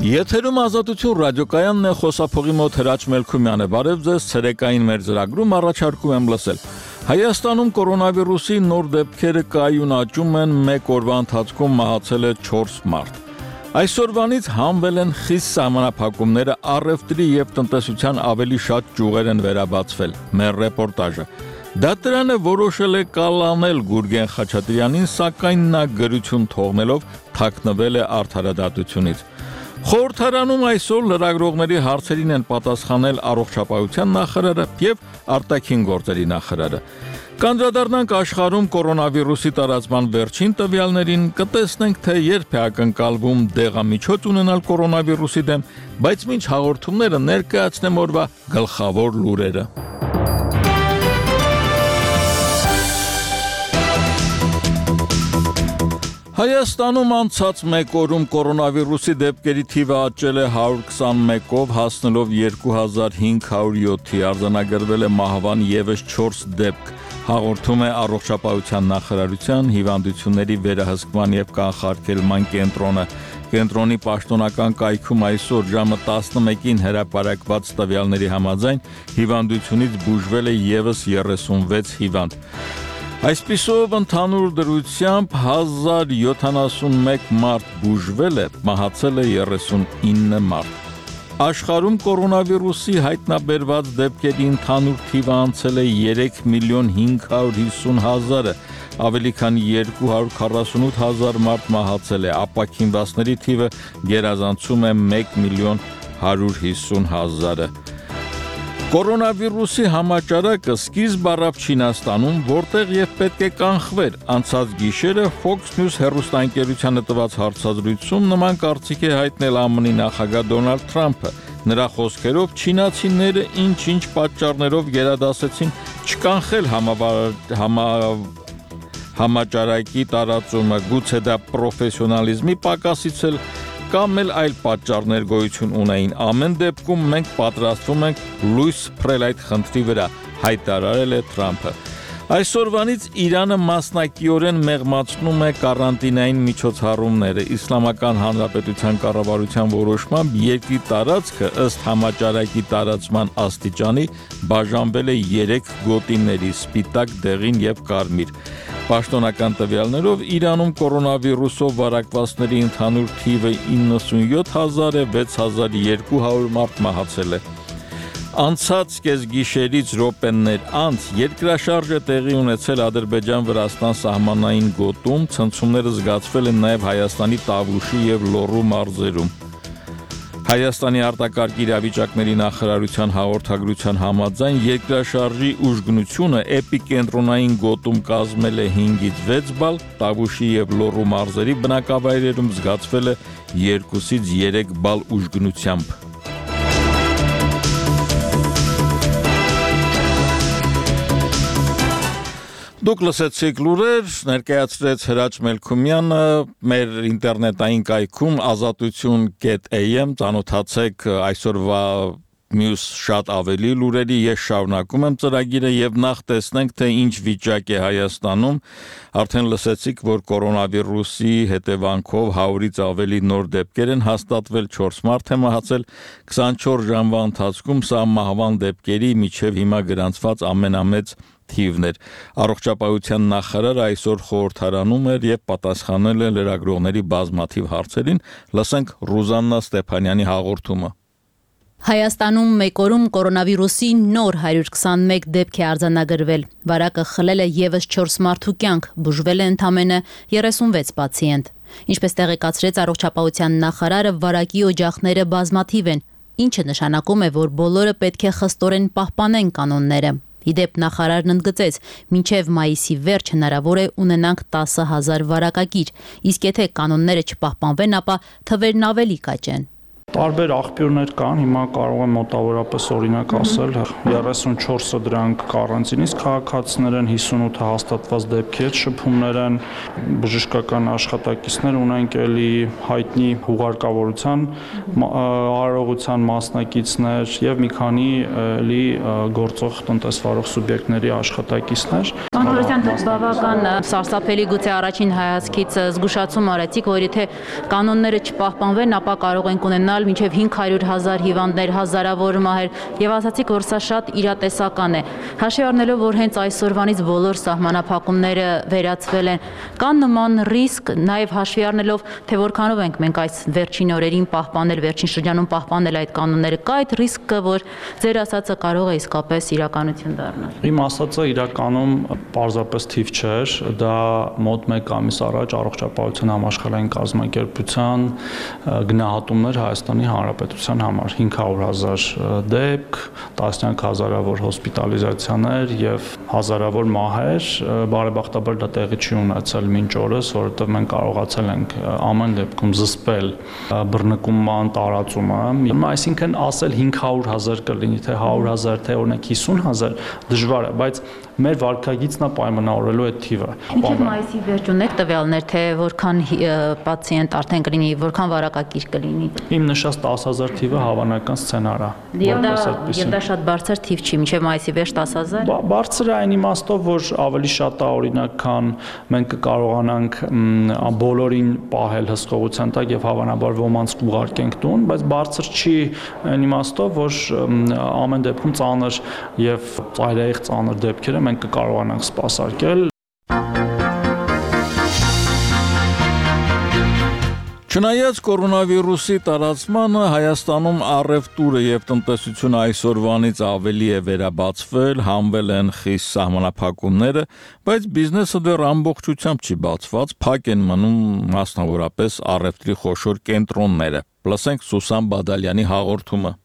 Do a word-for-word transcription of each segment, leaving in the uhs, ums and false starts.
Եթերում Ազատություն ռադիոկայանն է, խոսափողի մոտ Հրաչ Մելքումյան է, բարև ձեզ, ցերեկային մեր ծրագրում առաջարկում եմ լսել։ Հայաստանում կորոնավիրուսի նոր դեպքերը կայուն աճում են, մեկ օրվա ընթացքում մահացել է չորս մարդ։ Այսօրվանից հանվել են խիստ սահմանափակումները, առևտրի և տնտեսության ավելի շատ ճյուղեր են վերաբացվել, մեր ռեպորտաժը։ Դա դրան է որոշել է կալանել Գուրգեն Խաչատրյանին, սակայն նա գրություն թողնելով թաքնվել է արդարադատությունից։ Խորհրդարանում այսօր լրագրողների հարցերին են պատասխանել առողջապահության նախարարը և արտաքին գործերի նախարարը։ Կանդրադառնանք աշխարհում կորոնավիրուսի տարածման վերջին տվյալներին, կտեսնենք, թե երբ է ակնկալվում դեղամիջոց ունենալ կորոնավիրուսի դեմ, բայց մինչ հաղորդումները ներկայացնեմ օրվա գլխավոր լուրերը։ Հայաստանում անցած մեկ օրում կորոնավիրուսի դեպքերի թիվը աճել է հարյուր քսանմեկով, հասնելով երկու հազար հինգ հարյուր յոթի, արձանագրվել է մահվան ևս չորս դեպք, հաղորդում է առողջապահության նախարարության հիվանդությունների վերահսկման և կանխարգելման կենտրոնը։ Կենտրոնի պաշտոնական կայքում այսօր ժամը տասնմեկին հրապարակված տվյալների համաձայն հիվանդությունից բուժվել է ևս երեսունվեց հիվանդ։ Այսպիսով ընդհանուր դրությամբ հազար յոթանասունմեկ մարդ բուժվել է, մահացել է երեսունինը մարդ։ Աշխարհում կորոնավիրուսի հայտնաբերված դեպքերի ընդհանուր թիվը անցել է երեք միլիոն հինգ հարյուր հիսուն հազարը, ավելի քան երկու հարյուր քառասունութ հազար մարդ մահացել է, ապաքինվածների թիվը գերազանցում է մեկ միլիոն հարյուր հիսուն հազարը։ Կորոնավիրուսի համաճարակը սկիզբ առավ Չինաստանում, որտեղ և պետք է կանխվեր։ Անցած գիշերը Fox News հեռուստաընկերությանը տված հարցազրույցում նման կարծիք է հայտնել ԱՄՆ-ի նախագահ Դոնալդ Թրամփը։ Նրա խոսքերով չինացիները ինչ-ինչ պատճառներով գերադասեցին չկանխել համա... համաճարակի տարածումը, գուցե դա պրոֆեսիոնալիզմի պակասից էլ կամ էլ այլ պատճառներ գոյություն ունեին։ Ամեն դեպքում մենք պատրաստվում ենք լույս փռել այդ խնդրի վրա, հայտարարել է Թրամփը։ Այսօրվանից Իրանը մասնակիորեն մեղմացնում է կարանտինային միջոցառումները։ Իսլամական Հանրապետության կառավարության որոշմամբ երկրի տարածքը ըստ համաճարակի տարածման աստիճանի բաժանվել է երեք գոտիների՝ սպիտակ, դեղին և կարմիր։ Պաշտոնական տվյալներով Իրանում կորոնավիրուսով վարակվածների ընդհանուր թիվը իննսունյոթ հազար է, վեց հազար երկու հարյուր մարդ մահացել է։ Անցած կեսգիշերից րոպեներ անց երկրաշարժ է տեղի ունեցել Ադրբեջան-Վրաստան սահմանային գոտում, ցնցումները զգացվել են նաև Հայաստանի Տավուշի և Լոռու մարզերում։ Հայաստանի արտակարգ իրավիճակների նախարարության հաղորդագրության համաձայն երկրաշարժի ուժգնությունը էպիկենտրոնային գոտում կազմել է հինգից վեց բալ, Տավուշի և Լոռու մարզերի բնակավայրերում զգացվել է երկուսից երեք բալ ուժգնությամբ։ Դուք լսեցիք լուրեր, ներկայացրեց Հրաչ Մելքումյանը, մեր ինտերնետային կայքում ազատություն կետ էյ էմ, ծանոթացեք այսօրվա մյուս շատ ավելի լուրերի, ես շարունակում եմ ծրագիրը և նախ տեսնենք, թե ինչ վիճակ է Հայաստանում։ Արդեն լսեցիք, որ կորոնավիրուսի հետևանքով հարյուրից ավելի նոր դեպքեր են հաստատվել, չորս մարդ է մահացել, քսանչորս ժամվա ընթացքում սա մահվան դեպքերի միջև հիմա գրանցված ամենամեծ թիվն էր։ Առողջապահության նախարարը այսօր խորհրդարանում էր և պատասխանել է լրագրողների բազմաթիվ հարցերին։ Լսենք Ռուզաննա Ստեփանյանի հաղորդումը։ Հայաստանում մեկ օրում կորոնավիրուսի նոր հարյուր քսանմեկ դեպք է արձանագրվել։ Վարակը խլել է ևս չորս մարդու կյանք, բուժվել է ընդամենը երեսունվեց պացիենտ։ Ինչպես տեղեկացրեց առողջապահության նախարարը, վարակի օջախները բազմաթիվ են, ինչը նշանակում է, որ բոլորը պետք է խստորեն պահպանեն կանոնները։ Իդեպ նախարարն ընդգծեց, մինչև մայիսի վերջ հնարավոր է ունենանք տասը հազար վարակագիր, իսկ եթե կանոնները չպահպանվեն, ապա թվերն ավելի կաճեն։ Տարբեր աղբյուրներ կան, հիմա կարող եմ մոտավորապես օրինակ ասել, երեսունչորսը դրանք կարանտինից քաղաքացիներ են, հիսունութը հաստատված դեպքեր, շփումներ են, բժշկական աշխատակիցներ ունենք, էլի հայտնի հուղարկավորության արարողության մասնակիցներ եւ մի քանի էլի գործող տնտեսվարող սուբյեկտների աշխատակիցներ։ Կանոնության բավական սարսափելի, գուցե առաջին հայացքից զգուշացում արեցիք, որ եթե կանոնները չպահպանվեն, ապա կարող ենք ունենալ ունենալ մինչև հինգ հարյուր հազար հիվանդներ, հազարավոր մահեր, եւ ասացիք, որ սա շատ իրատեսական է։ Հաշվի առնելով, որ հենց այսօրվանից բոլոր սահմանափակումները վերացվել են, կան նման ռիսկ, նաեւ հաշվի առնելով, թե որքանով ենք մենք այս վերջին օրերին պահպանել, վերջին շրջանում պահպանել այդ կանոնները, կա այդ ռիսկը, որ ձեր ասածը կարող է իսկապես իրականություն դառնալ։ Իմ ասածը իրականում պարզապես թիվ չէր, դա մոտ մեկ ամիս առաջ առողջապահության համաշխարհային կազմակերպության գնահատումներ Հայաստանի Հանրապետության համար հինգ հարյուր հազար դեպք, տասնյակ հազարավոր հոսպիտալիզացիաներ եւ հազարավոր մահեր, բարեբախտաբար դա տեղի չի ունեցել մինչ օրս, որովհետեւ մենք կարողացել ենք ամեն դեպքում զսպել բռնկումման տարածումը, այսինքն ասել հինգ հարյուր հազար կլինի, թե հարյուր հազար, թե օրինակ հիսուն հազար դժվար է, բայց մեր վարկագիծն է պայմանավորելու այդ թիվը։ Մինչև մայիսի վերջ ունեք տվյալներ, թե որքան պացիենտ արդեն կլինի, որքան վարակակիր կլինի։ Իմ նշած տասը հազար թիվը հավանական սցենար է։ Եվ դա եւ դա շատ բարձր թիվ չի, մինչև մայիսի վերջ տասը հազար։ Բարձր է այն իմաստով, որ ավելի շատ է օրինակ, քան մենք կկարողանանք բոլորին պահել հսկողության տակ եւ հավանաբար ոմանց կուղարկենք տուն, բայց բարձր չի այն իմաստով, որ ամեն դեպքում ծանր եւ ծայրահեղ ծանր դեպքերը մենք կկարողանանք սպասարկել։ Չնայած կորոնավիրուսի տարածմանը Հայաստանում առևտուրը եւ տնտեսությունը այսօրվանից ավելի է վերաբացվել, հանվել են խիստ սահմանափակումները, բայց բիզնեսը դեռ ամբողջությամբ չի բացված, փակ են մնում մասնավորապես առևտրի խոշոր կենտրոնները։ Լսենք Սուսան Բադալյանի հաղորդումը։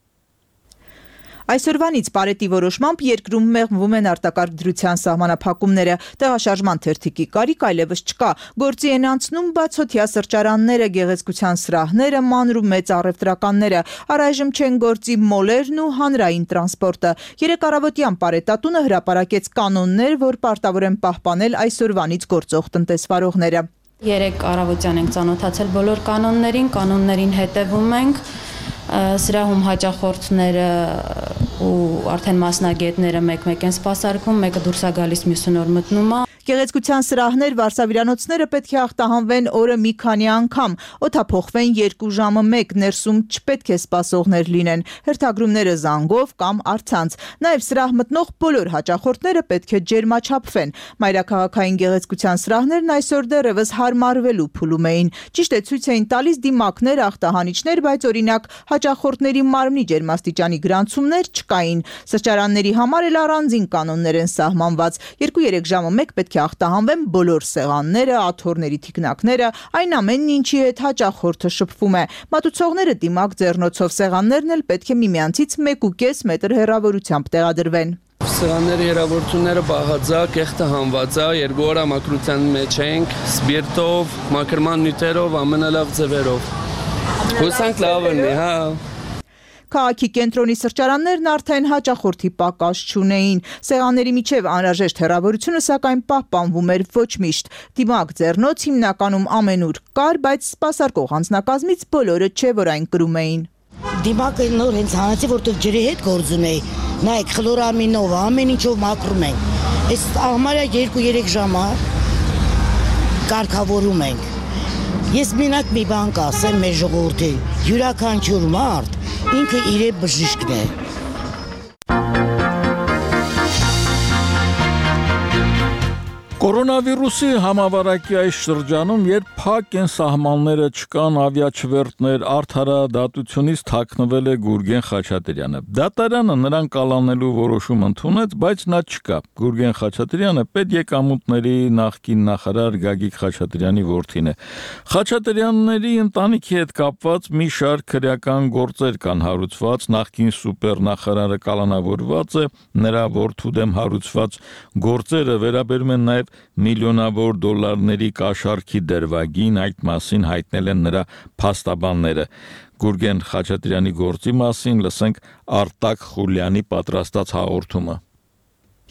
Այսօրվանից Պարետի որոշմամբ երկրում մեղմվում են արտակարգ դրության սահմանափակումները, տեղաշարժման թերթիկի կարիք այլևս չկա, գործի են անցնում բացօթյա սրճարանները, գեղեցկության սրահները, մանր ու մեծ առևտրականները, առայժմ չեն գործի մոլերն ու հանրային տրանսպորտը։ Երեկ առավոտյան Պարետատունը հրապարակեց կանոններ, որ պարտավոր են պահպանել այսօրվանից գործող տնտեսվարողները։ Երեկ առավոտյան ենք ծանոթացել բոլոր կանոններին, կանոններին հետևում ենք, սրահում հաճախորդները ու արդեն մասնագետները մեկ-մեկ են սպասարկում, մեկը դուրս է գալիս, մյուսը նոր մտնում է։ Գեղեցկության սրահներ, վարսավիրանոցները պետք է ախտահանվեն օրը մի քանի անգամ, օդափոխվեն երկու ժամը մեկ, ներսում չպետք է սպասողներ լինեն, հերթագրումները զանգով կամ առցանց։ Նաև սրահ մտնող բոլոր հաճախորդները պետք է ջերմաչափվեն։ Մայրաքաղաքային գեղեցկության սրահներն այսօր դեռևս հարմարվելու փուլում էին։ Ճիշտ է, ցույց էին տալիս դիմակներ, ախտահանիչներ, բայց օրինակ հաճախորդների մարմնի ջերմաստիճանի գրանցումներ չկային։ Սրճարանների համար էլ առանձին կանոններ են սահմանված։ երկու-երեք ժամը մեկ պետք է ախտահանվեն բոլոր սեղանները, աթոռների թիկնակները, այն ամենն, ինչի հետ հաճախորդը շփվում է։ Մատուցողները դիմակ ձեռնոցով սեղաններն էլ պետք է միմյանցից մեկ ու կես մետր հեռավորությամբ տեղադրվեն։ Սեղանների հեռավորությունները բաղաձակ, կեղտը հանված է, երկու օր մաքրության մեջ ենք, սպիրտով, մաքրման նյութերով, ամենալավ ձևերով։ Հուսանք լավ լինի, հա։ Քաղաքի կենտրոնի սրճարաններն արդեն հաճախորդի պակաս չունեին։ Սեղանների միջև անհրաժեշտ հեռավորությունը սակայն պահպանվում էր ոչ միշտ։ Դիմակ ձեռնոց հիմնականում ամենուր կար, բայց սպասարկող անձնակազմից բոլորը չէ, որ այն կրում էին։ Դիմակը նոր հենց հանեցի, որտեղ ջրի հետ գործ ունեի։ Նայեք, խլորամինով, ամեն ինչով մաքրում ենք։ Այս համարյա երկու-երեք ժամ կարգավորում ենք։ Ես մենակ մի բան կասեմ մեր ժողովրդի, յուրաքանչյուր մարդ ինքը իր բժիշկն է։ Կորոնավիրուսի համավարակի այս շրջանում, երբ փակ են սահմանները, չկան ավիաչվերթներ, արդարադատությունից թաքնվել է Գուրգեն Խաչատրյանը։ Դատարանը նրան կալանելու որոշում ընդունեց, բայց նա չկա։ Գուրգեն Խաչատրյանը պետեկամուտների նախկին նախարար Գագիկ Խաչատրյանի որդին է։ Խաչատրյանների ընտանիքի հետ կապված մի շարք քրեական գործեր կան հարուցված, նախկին սուպերնախարարը կալանավորված է, նրա որդու դեմ հարուցված գործերը վերաբերում են նաև միլիոնավոր դոլարների կաշառքի դրվագին, այդ մասին հայտնել են նրա փաստաբանները։ Գուրգեն Խաչատրյանի գործի մասին լսենք Արտակ Խուլյանի պատրաստած հաղորդումը։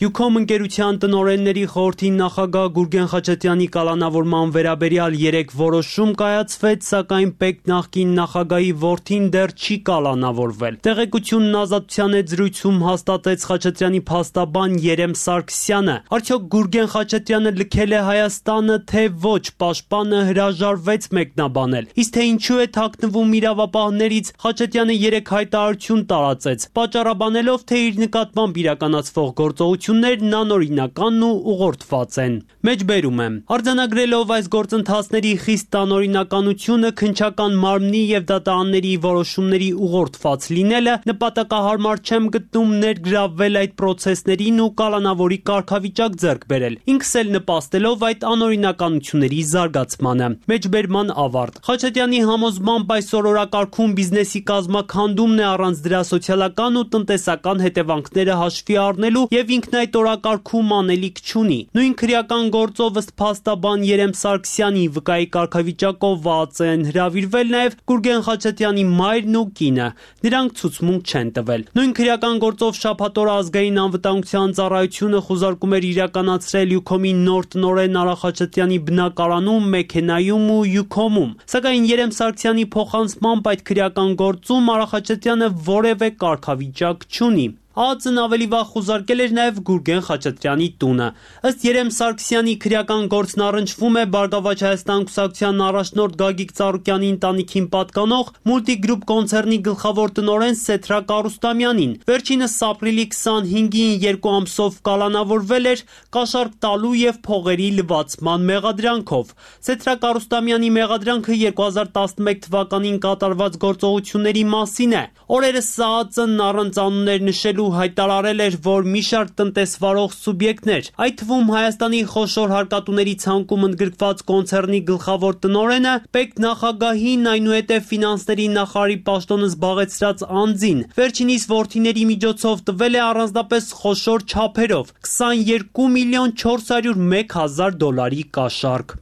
Յուքոմ ընկերության տնօրենների խորհրդի նախագահ Գուրգեն Խաչատրյանի կալանավորման վերաբերյալ երեք որոշում կայացվեց, սակայն ՊԵԿ նախկին նախագահի որդին դեռ չի կալանավորվել։ Տեղեկությունն Ազատության հետ զրույցում հաստատեց Խաչատրյանի փաստաբան Երեմ Սարգսյանը։ Արդյոք Գուրգեն Խաչատրյանը լքել է Հայաստանը, թե ոչ, պաշտպանը հրաժարվեց մեկնաբանել։ Իսկ թե ինչու է թաքնվում իրավապահներից, Խաչատրյանը երեք հայտարարություն տարածեց, պատճառաբանելով, թե իր նկատմամբ իրականացվող գործողություններն անօրինական ու ուղղորդված են։ Մեջբերում եմ. Արձանագրելով այս գործընթացների խիստ անօրինականությունը, քննչական մարմնի եւ դատարանների որոշումների ուղղորդված լինելը, նպատակահարմար չեմ գտնում ներգրավվել այդ պրոցեսներին ու կալանավորի կարգավիճակ ձեռք բերել, ինքս էլ նպաստելով այդ անօրինականությունների զարգացմանը։ Մեջբերման ավարտ։ Խաչատրյանի համոզմամբ այսօր օրակարգում բիզնեսի կազմաքանդումն է առանց դրա սոցիալական ու տնտեսական հետևանքները հաշվի առնելու եւ ինքն այդ օրակարգում անելիք չունի։ Նույն քրեական գործով ըստ փաստաբան Երեմ Սարգսյանի վկայի կարգավիճակով վաած են հրավիրվել նաեւ Գուրգեն Խաչատրյանի մայրն ու կինը։ Նրանք ցուցմունք չեն տվել։ Նույն քրեական գործով շաբաթօրը ազգային անվտանգության ծառայությունը խուզարկում էր իրականացրել Յուքոմի նոր տնօրեն Արա Խաչատրյանի բնակարանում, մեքենայում ու Յուքոմում։ Սակայն Երեմ Սարգսյանի փոխանցմամբ այդ քրեական գործում Արա Խաչատրյանը որևէ կարգավիճակ չունի։ ԱԱԾ-ն ավելի վաղ խուզարկել էր նաև Գուրգեն Խաչատրյանի տունը։ Ըստ Երեմ Սարգսյանի քրեական գործն առնչվում է Բարգավաճ Հայաստան կուսակցության առաջնորդ Գագիկ Ծառուկյանի ընտանիքին պատկանող Multigroup կոնցեռնի գլխավոր տնօրեն Սեթրակ Արուստամյանին։ Վերջինս ապրիլի քսանհինգին երկու ամսով կալանավորվել էր կաշառք տալու եւ փողերի լվացման մեղադրանքով։ Սեթրակ Արուստամյանի մեղադրանքը երկու հազար տասնմեկ թվականին կատարված գործողությունների մասին է։ Օրերս ԱԱԾ-ն առանց անուններ նշելու հայտարարել էր, որ մի շարք տնտեսվարող սուբյեկտներ, այդ թվում Հայաստանի խոշոր հարկատուների ցանկում ընդգրկված կոնցեռնի գլխավոր տնօրենը, ՊԵԿ նախագահին, այնուհետև ֆինանսների նախարարի պաշտոնը զբաղեցրած անձին, վերջինիս որդիների միջոցով տվել է առանձնապես խոշոր չափերով քսաներկու միլիոն չորս հարյուր մեկ հազար դոլարի կաշառք։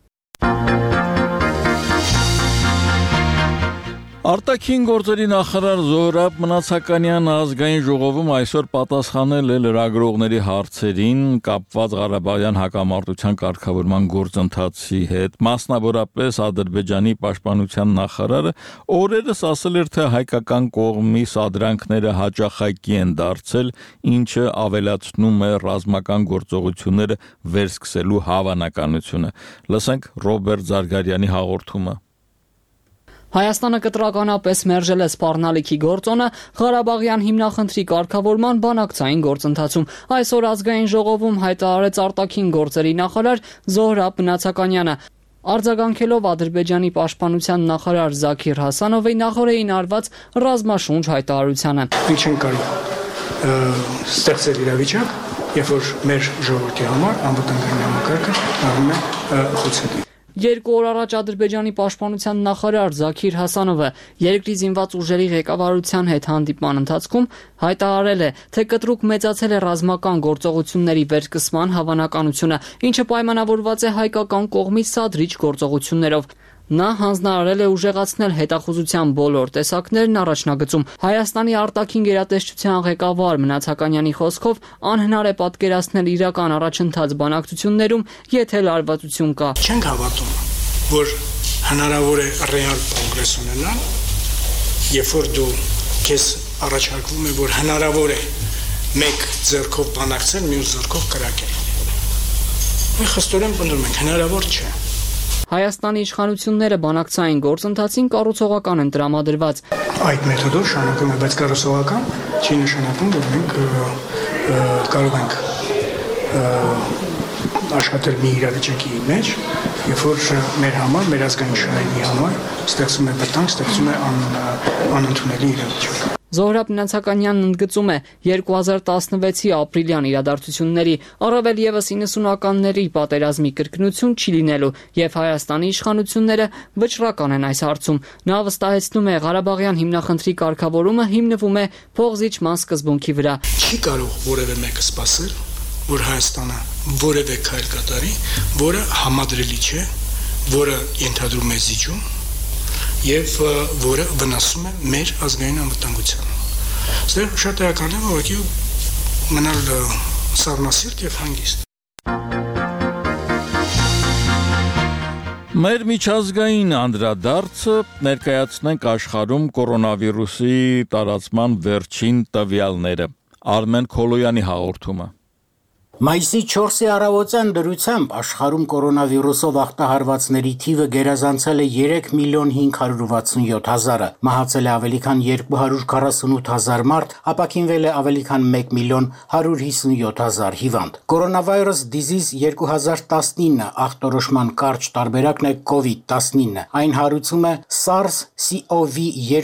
Արտաքին գործերի նախարար Զոհրաբ Մնացականյանը ազգային ժողովում այսօր պատասխանել է լրագրողների հարցերին կապված Ղարաբաղյան հակամարտության կարգավորման գործընթացի հետ, մասնավորապես Ադրբեջանի պաշտպանության նախարարը օրերս ասել էր, թե հայկական կողմի սադրանքները հաճախակի են դարձել, ինչը ավելացնում է ռազմական գործողությունները վերսկսելու հավանականությունը։ Լսենք Ռոբերտ Զարգարյանի հաղորդումը։ Հայաստանը կտրականապես մերժել է սպառնալիքի գործոնը Ղարաբաղյան հիմնախնդրի կարգավորման բանակցային գործընթացում։ Այսօր ազգային ժողովում հայտարարեց արտաքին գործերի նախարար Զոհրաբ Մնացականյանը, արձագանքելով Ադրբեջանի պաշտպանության նախարար Զաքիր Հասանովի նախորդին արված ռազմաշունչ հայտարարությանը։ Ինչ են կարող ստեղծել իրավիճակ, երբ որ մեր ժողովրդի համար անվտանգային համակարգը դառնում է խոցելի։ Երկու օր առաջ Ադրբեջանի պաշտպանության նախարար Զաքիր Հասանովը երկրի զինված ուժերի ղեկավարության հետ հանդիպման ընթացքում հայտարարել է, թե կտրուկ մեծացել է ռազմական գործողությունների վերսկսման հավանականությունը, ինչը պայմանավորված է հայկական կողմի սադրիչ գործողություններով։ Նա հանձնարարել է ուժեղացնել հետախուզության բոլոր տեսակներն առաջնագծում։ Հայաստանի արտաքին գերատեսչության ղեկավար Մնացականյանի խոսքով անհնար է պատկերացնել իրական առաջընթաց բանակցություններում, եթե լարվածություն կա։ Չենք հավատում, որ հնարավոր է ռեալ կոնգրես ունենալ, երբ որ դու քեզ առաջարկվում է, որ հնարավոր է մեկ ձեռքով բանակցել, մյուս ձեռքով կրակել։ Մենք խստորեն պնդում ենք, հնարավոր չէ։ Հայաստանի իշխանությունները բանակցային գործընթացին կառուցողական են տրամադրված։ Այդ մեթոդով շարունակում է, բայց կառուցողական չի նշանակում, որ մենք կարող ենք աշխատել մի իրավիճակի մեջ, երբ որ մեր համար, մեր ազգային շահերի համար ստեղծում է վտանգ, ստեղծում է անընդունելի իրավիճակ։ Զոհրաբ Մնացականյանն ընդգծում է երկու հազար տասնվեցի ապրիլյան իրադարձությունների, առավել ևս իննսունականների պատերազմի կրկնություն չի լինելու, եւ Հայաստանի իշխանությունները վճռական են այս հարցում։ Նա վստահեցնում է, Ղարաբաղյան հիմնախնդրի կարգավորումը հիմնվում է փողզիջման սկզբունքի վրա։ Չի կարող որևէ մեկը սպասել, որ Հայաստանը որևէ քայլ կատարի, որը համադրելի չէ, որը ենթադրում է զիջում եւ որը վնասում է մեր ազգային անվտանգությանը։ Սա շատ էական է, ուղղակի մնալ սառնասիրտ եւ հանգիստ։ Մեր միջազգային անդրադարձը ներկայացնենք աշխարհում կորոնավիրուսի տարածման վերջին տվյալները։ Արմեն Քոլոյանի հաղորդումը։ Մայիսի չորսի առավոտյան դրությամբ աշխարհում կորոնավիրուսով ախտահարվածների թիվը գերազանցել է երեք միլիոն հինգ հարյուր վաթսունյոթ հազարը, մահացել է ավելի քան երկու հարյուր քառասունութ հազար մարդ, ապաքինվել է ավելի քան մեկ միլիոն հարյուր հիսունյոթ հազար հիվանդ։ Coronavirus disease երկու հազար տասնինը ախտորոշման կարճ տարբերակն է կովիդ տասնինը։ Այն հարուցում է SARS-C o V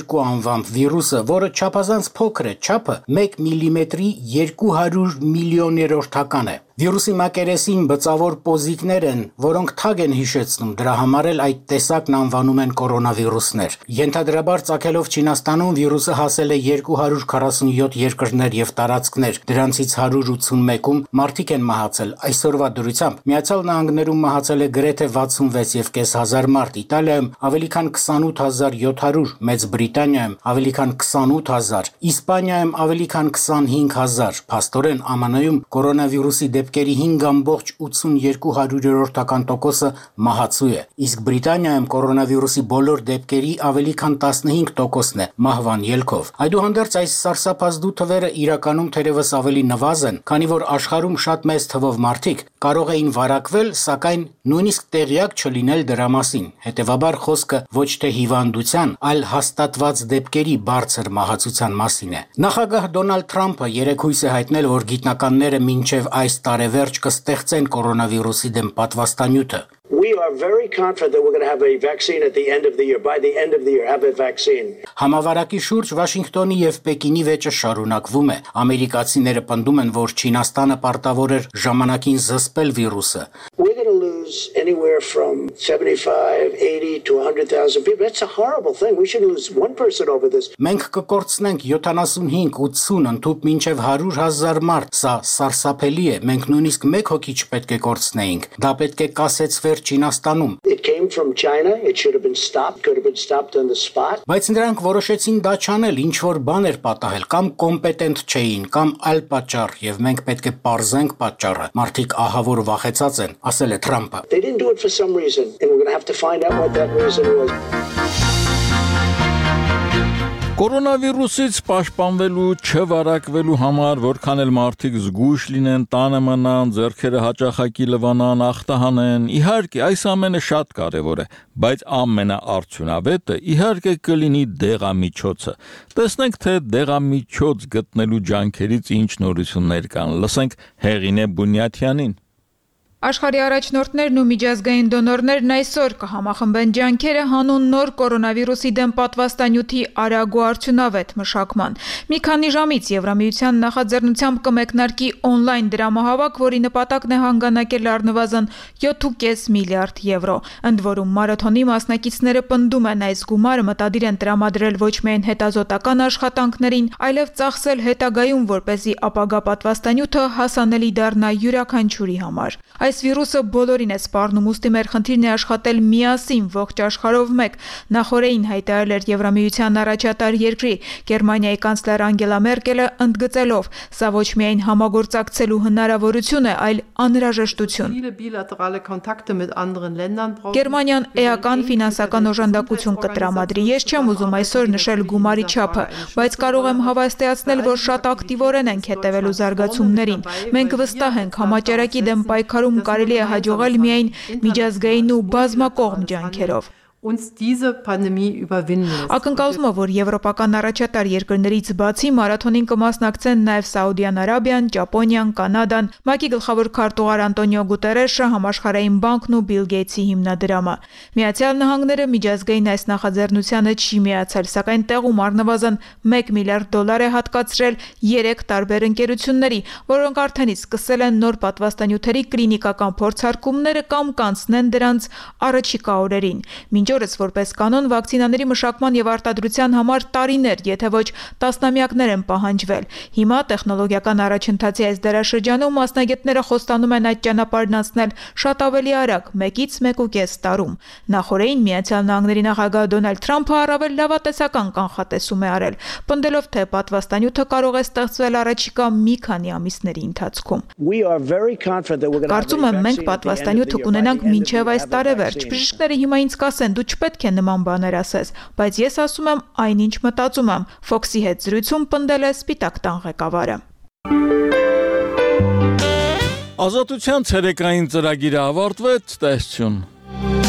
two անվամբ վիրուսը, որը չափազանց փոքր է, չափը մեկ միլիմետրի երկու հարյուր միլիոներորդական է։ Վիրուսի մակերեսին բծավոր պոզիկներ են, որոնք թագ են հիշեցնում, դրա համար էլ այդ տեսակն անվանում են կորոնավիրուսներ։ Ենթադրաբար ծագելով Չինաստանում վիրուսը հասել է երկու հարյուր քառասունյոթ երկրներ եւ տարածքներ, դրանցից հարյուր ութսունմեկում մարդիկ են մահացել։ Այսօրվա դրությամբ Միացյալ Նահանգներում մահացել է գրեթե վաթսունվեց եւ կես հազար մարդ, Իտալիայում ավելի քան քսանութ հազար յոթ հարյուր, Մեծ Բրիտանիայում ավելի քան քսանութ հազար, Իսպանիայում ավելի քան քսանհինգ հազար, փաստորեն Ամն Յում կորոնավիրուսի դեպքերի հինգ ամբողջ ութսունյոթ հարյուրերորդական տոկոսը մահացու է, իսկ Բրիտանիայում կորոնավիրուսի բոլոր դեպքերի ավելի քան տասնհինգ տոկոսն է մահվան ելքով։ Այդուհանդերձ այս սարսափազդու թվերը իրականում թերևս ավելի նվազեն, քանի որ աշխարհում շատ մեծ թվով մարդիկ կարող էին վարակվել, սակայն նույնիսկ տեղյակ չլինել դրա մասին։ Հետևաբար խոսքը ոչ թե հիվանդության, այլ հաստատված դեպքերի բարձր մահացության մասին է։ Նախագահ Դոնալդ Թրամփը երեկ հույս է հայտնել, որ գիտնականները մինչև այս տարեվերջ կստեղծեն կորոնավիրուսի դեմ պատվաստանյութը։ We are very confident that we're going to have a vaccine at the end of the year. By the end of the year, have a vaccine. Համավարակի շուրջ Վաշինգտոնի եւ Պեկինի վեճը շարունակվում է։ Ամերիկացիները պնդում են, որ Չինաստանը պարտավոր էր ժամանակին զսպել վիրուսը։ We're going to lose anywhere from seventy-five, eighty to one hundred thousand people. That's a horrible thing. We should lose one person over this. Մենք կկորցնենք յոթանասունհինգ ութսուն ընդհուպ մինչև հարյուր հազար մարդ։ Սա սարսափելի է։ Մենք նույնիսկ մեկ հոգի չպետք է կորցնեինք։ Դա պետք է կասեցվեր Չինաստանում։ It came from China. It should have been stopped. Could have been stopped on the spot. Բայց նրանք որոշեցին դա չանել, ինչ որ բան էր պատահել, կամ կոմպետենտ չէին, կամ այլ պատճառ, եւ մենք պետք է պարզենք պատճառը։ Մարդիկ ահավոր վախեցած են, ասել է Թրամփը։ They didn't do it for some reason, and we're going to have to find out what that reason was. Կորոնավիրուսից պաշտպանվելու չվարակվելու համար որքան էլ մարդիկ զգույշ լինեն, տանը մնան, ձեռքերը հաճախակի լվանան, ախտահանեն, իհարկե այս ամենը շատ կարևոր է, բայց ամենաարդյունավետը իհարկե կլինի դեղամիջոցը։ Տեսնենք, թե դեղամիջոց գտնելու ջանքերից ինչ նորություններ կան։ Լսենք Հեղինե Բունյաթյանին։ Աշխարհի առաջնորդներն ու միջազգային դոնորներն այսօր կհամախմբեն ջանքերը հանուն նոր կորոնավիրուսի դեմ պատվաստանյութի արագ ու արդյունավետ մշակման։ Մի քանի ժամից Եվրամիության նախաձեռնությամբ կմեկնարկի օնլայն դրամահավաք, որի նպատակն է հանգանակել առնվազն յոթ ու կես միլիարդ եվրո։ Ընդ որում մարաթոնի մասնակիցները պնդում են այս գումարը մտադիր են տրամադրել ոչ միայն հետազոտական աշխատանքներին, այլև ծախսել հետագայում, որպեսզի ապագա պատվաստանյութը հասանելի դառնա յուրաքանչյուրի համար։ Այս վիրուսը բոլորին է սպառնում, ուստի մեր խնդիրն է աշխատել միասին ողջ աշխարհով մեկ։ Նախորդին հայտարարել էր Եվրամիության առաջատար երկրի Գերմանիայի կանցլեր Անգելա Մերկելը, ընդգծելով, սա ոչ միայն համագործակցելու հնարավորություն է, այլ անհրաժեշտություն։ Գերմանիան էական ֆինանսական օժանդակություն կտրամադրի։ Ես չեմ ուզում այսօր նշել գումարի չափը, բայց կարող եմ հավաստիացնել, որ շատ ակտիվորեն ենք հետևելու զարգացումներին։ Մենք վստահ ենք, համաճարակի դեմ պայքարում կարելի է հաջողել միայն միջազգային ու բազմակողմ ջանքերով։ Ակնկալվում է, որ եվրոպական առաջատար երկրներից բացի մարաթոնին կմասնակցեն նաև Սաուդյան Արաբիան, Ճապոնիան, Կանադան, ՄԱԿ-ի գլխավոր քարտուղար Անտոնիո Գուտերեշը, Համաշխարհային բանկն ու Բիլ Գեյթսի հիմնադրամը։ Միացյալ Նահանգները միջազգային այս նախաձեռնությանը չի միացել, սակայն տեղում առնվազն մեկ միլիարդ դոլար է հատկացրել երեք տարբեր ընկերությունների, որոնք արդեն իսկ սկսել են նոր պատվաստանյութերի կլինիկական փորձարկումները կամ կանցնեն դրանց առաջիկա օրերին։ Մինչ օրս որպես կանոն վակցինաների մշակման եւ արտադրության համար տարիներ, եթե ոչ տասնամյակներ են պահանջվել։ Հիմա տեխնոլոգիական առաջընթացի այս դարաշրջանում մասնագետները խոստանում են այդ ճանապարհն անցնել շատ ավելի արագ՝ մեկից մեկ ու կես տարում։ Նախորդին Միացյալ Նահանգների նախագահ Դոնալդ Թրամփը առավել լավատեսական կանխատեսում է արել, պնդելով, թե պատվաստանյութը կարող է ստեղծվել առաջիկա մի քանի ամիսների ընթացքում։ Կարծում եմ, մենք պատվաստանյութը կունենանք մինչև այս տարեվերջ։ Բժիշկները հիմա ինձ կասեն, դու չպետք է նման բաներ ասես, բայց ես ասում եմ այն, ինչ մտածում եմ։ Ֆոքսի հետ զրույցում պնդել է Սպիտակ տան ղեկավարը։ Ազատության ցերեկային ծրագիրը ավարտվեց, տեսություն։